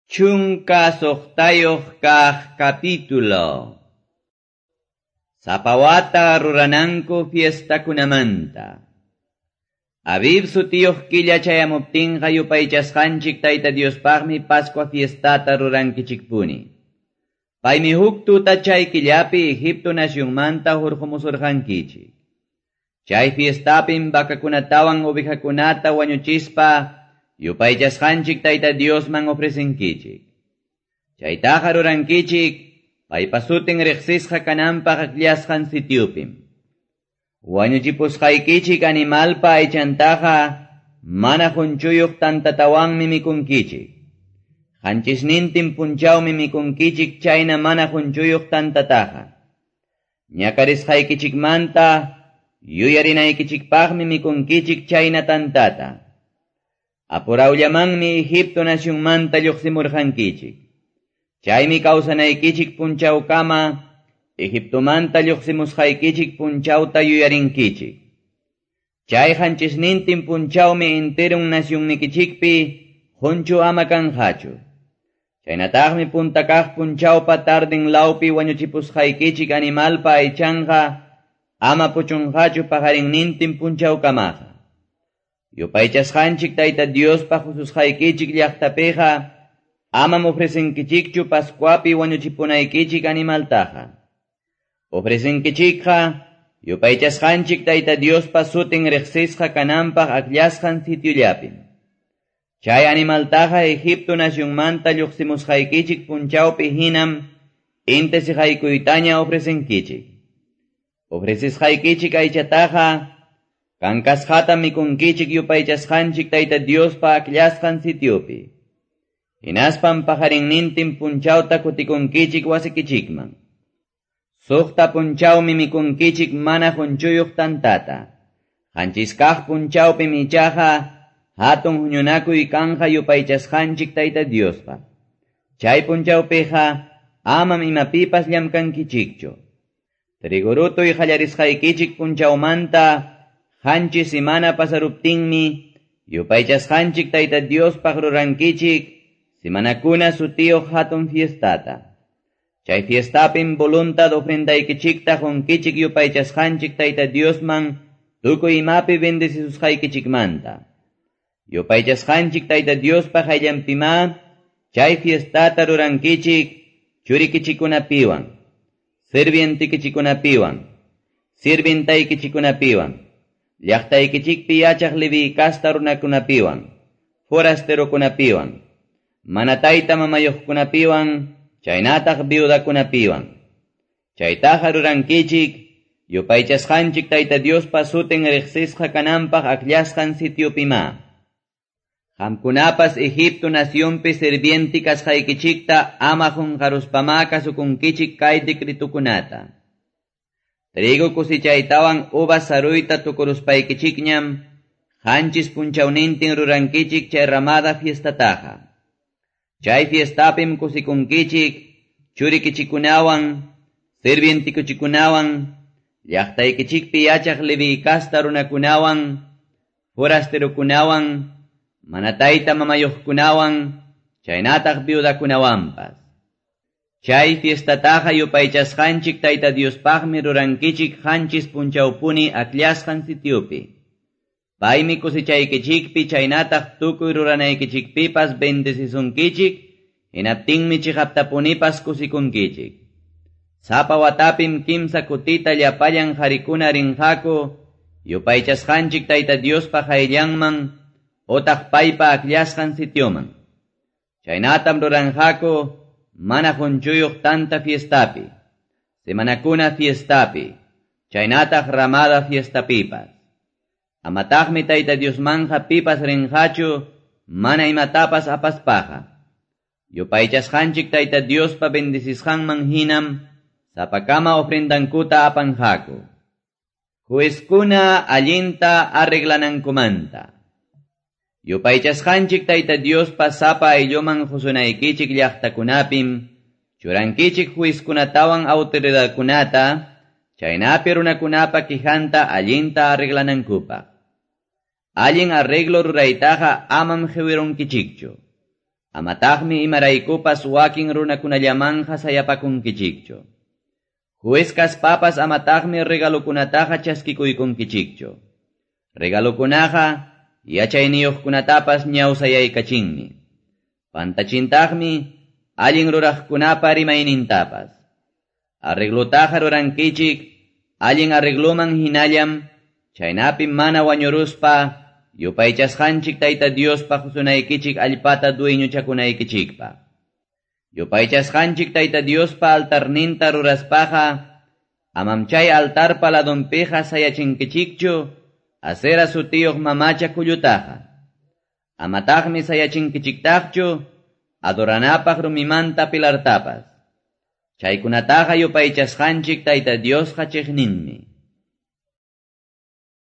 16 kaq capítulo. Sapa wata rurananku fiestakunamanta. Abib sutiyuq killa chayamuptinqa yupaychasqanchik Tayta Diospaqmi Pascua fiestata rurankichikpuni. Paymi huk tuta chay killapi Egipto nacionmanta hurqumusurqankichik. Chay fiestapim vacakunatawan ovejakunata wañuchispa yupaychasqanchik Tayta Diosman ofrecenkichik. Chaytaqa rurankichik paypa sutin riqsisqa kananpaq akllasqan sitiupim. Wañuchipusqaykichik animalpa aychantaqa mana qunchuyuq tantatawanmi mikunkichik. Qanchisnintin punchawmi mikunkichik chayna mana qunchuyuq tantataqa. Ñakarisqaykichikmanta yuyarinaykichikpaqmi mikunkichik chayna tantata. Apurawllamanmi Egipto nacionmanta lluqsimurqankichik. Chaymi kawsanaykichik punchawkama Egiptomanta lluqsimusqaykichik punchawta yuyarinkichik. Chay qanchisnintin punchawmi enterun nacionnikichikpi qunchu ama kanqachu. Chaynataqmi punta kaq punchawpa tardin lawpi wañuchipusqaykichik animalpa aychanqa ama puchunqachu paqarinnintin punchawkamaqa. Yupaychasqanchik Tayta Diospa hususqaykichik llaqtapiqa amam ofrecenkichikchu Pascuapi wañuchipunaykichik animaltaqa. Ofrecenkichikqa yupaychasqanchik Tayta Diospa sutin riqsisqa kananpaq akllasqan sitiollapim. Chay animaltaqa Egipto nacionmanta lluqsimusqaykichik punchawpi hinam inti siqaykuytaña ofrecenkichik. Ofrecisqaykichik aychataqa kankasqata mikunkichik yupaychasqanchik Tayta Diospa akllasqan sitiopi. Hinaspam paqarinnintin punchawta kutikunkichik wasikichikman. Suqta punchawmi mikunkichik mana qunchuyuq tantata. Qanchis kaq punchawpim ichaqa hatun huñunakuy kanqa yupaychasqanchik Tayta Diospa. Chay punchawpiqa amam imapipas llamkankichikchu. Trigorutuy qallarisqaykichik punchawmanta qanchis simana pasaruptinmi yupaychasqanchik Tayta Diospaq rurankichik simanakuna sutiyuq hatun fiestata. Chay fiestapim voluntad ofrendaykichikta qunkichik yupaychasqanchik Tayta Diosman tukuy imapi bendecisusqaykichikmanta. Yupaychasqanchik Tayta Diospa qayllanpimá chay fiestata rurankichik churikichikunapiwan, sirvientikichikunapiwan, sirvintaykichikunapiwan, llaqtaykichikpi yachaq Leví casta runakunapiwan, forasterokunapiwan, mana tayta mamayuqkunapiwan, chaynataq viudakunapiwan. Chaytaqa rurankichik yupaychasqanchik Tayta Diospa sutin riqsisqa kananpaq akllasqan sitiopimá. Qamkunapas Egipto nacionpi sirvienti kasqaykichikta ama qunqaruspamá kasukunkichik kay decretukunata. Trigo cosechaytawan uvas saruyta tukuruspaykichikñam qanchis punchawnintin rurankichik chay ramada fiestataqa. Chay fiestapim kusikunkichik churikichikunawan, sirvientikuchikunawan, llaqtaykichikpi yachaq Leví casta runakunawan, forasterokunawan, mana tayta mamayuqkunawan, chaynataq viudakunawanpas. Chay fiestataqa yupaychasqanchik Tayta Diospaqmi rurankichik qanchis punchawpuni akllasqan sitiopi. Paymi cosechaykichikpi chaynataq tukuy ruranaykichikpipas bendecisunkichik, hinaptinmi chiqaptapunipas kusikunkichik. Sapa watapim kimsa kutita llapallan qarikuna rinqaku, yupaychasqanchik Tayta Diospa qayllanman otaq paypa akllasqan sitioman. Chaynatam ruranqaku mana qunchuyuq tanta fiestapi, semanakuna fiestapi, chaynataq ramada fiestapipas. Amataqmi Tayta Diosmanja pipas rinqachu mana imatapas apaspaqa. Yupaychasqanchik Tayta Diospa bendecisqanman hinam sapakama ofrendankuta apanqaku. Juezkuna allinta arreglanankumanta. Yupaychasqanchik Tayta Diospa sapa aylluman husunaykichik llaqtakunapim, churankichik juezkunatawan autoridadkunata, chaynapi runakunapa quijanta allinta arreglanankupaq. Allin arreglo ruraytaqa amam qiwirunkichikchu. Amataqmi imaraykupas wakin runakunallamanqa sayapakunkichikchu. Juez kaspapas amataqmi regalokunataqa chaskikuykunkichikchu. Regalokunaqa yachayniyuqkunatapas ñawsayaykachinmi. Pantachintaqmi allin ruraqkunapa rimaynintapas. Arreglotaqa rurankichik allin arregloman hinallam, chaynapi mana wañuruspa yupaychasqanchik Tayta Diospa qusunaykichik allpata dueñochakunaykichikpaq. Yupaychasqanchik Tayta Diospa altarninta ruraspaqa, amam chay altarpa ladunpiqa sayachinkichikchu Asera sutiyuq mamacha kullutaqa. Amataqmi sayachinkichiktaqchu adoranapaq rumimanta pilartapas. Chaykunataqa yupaychasqanchik Tayta Diosqa chiqninmi.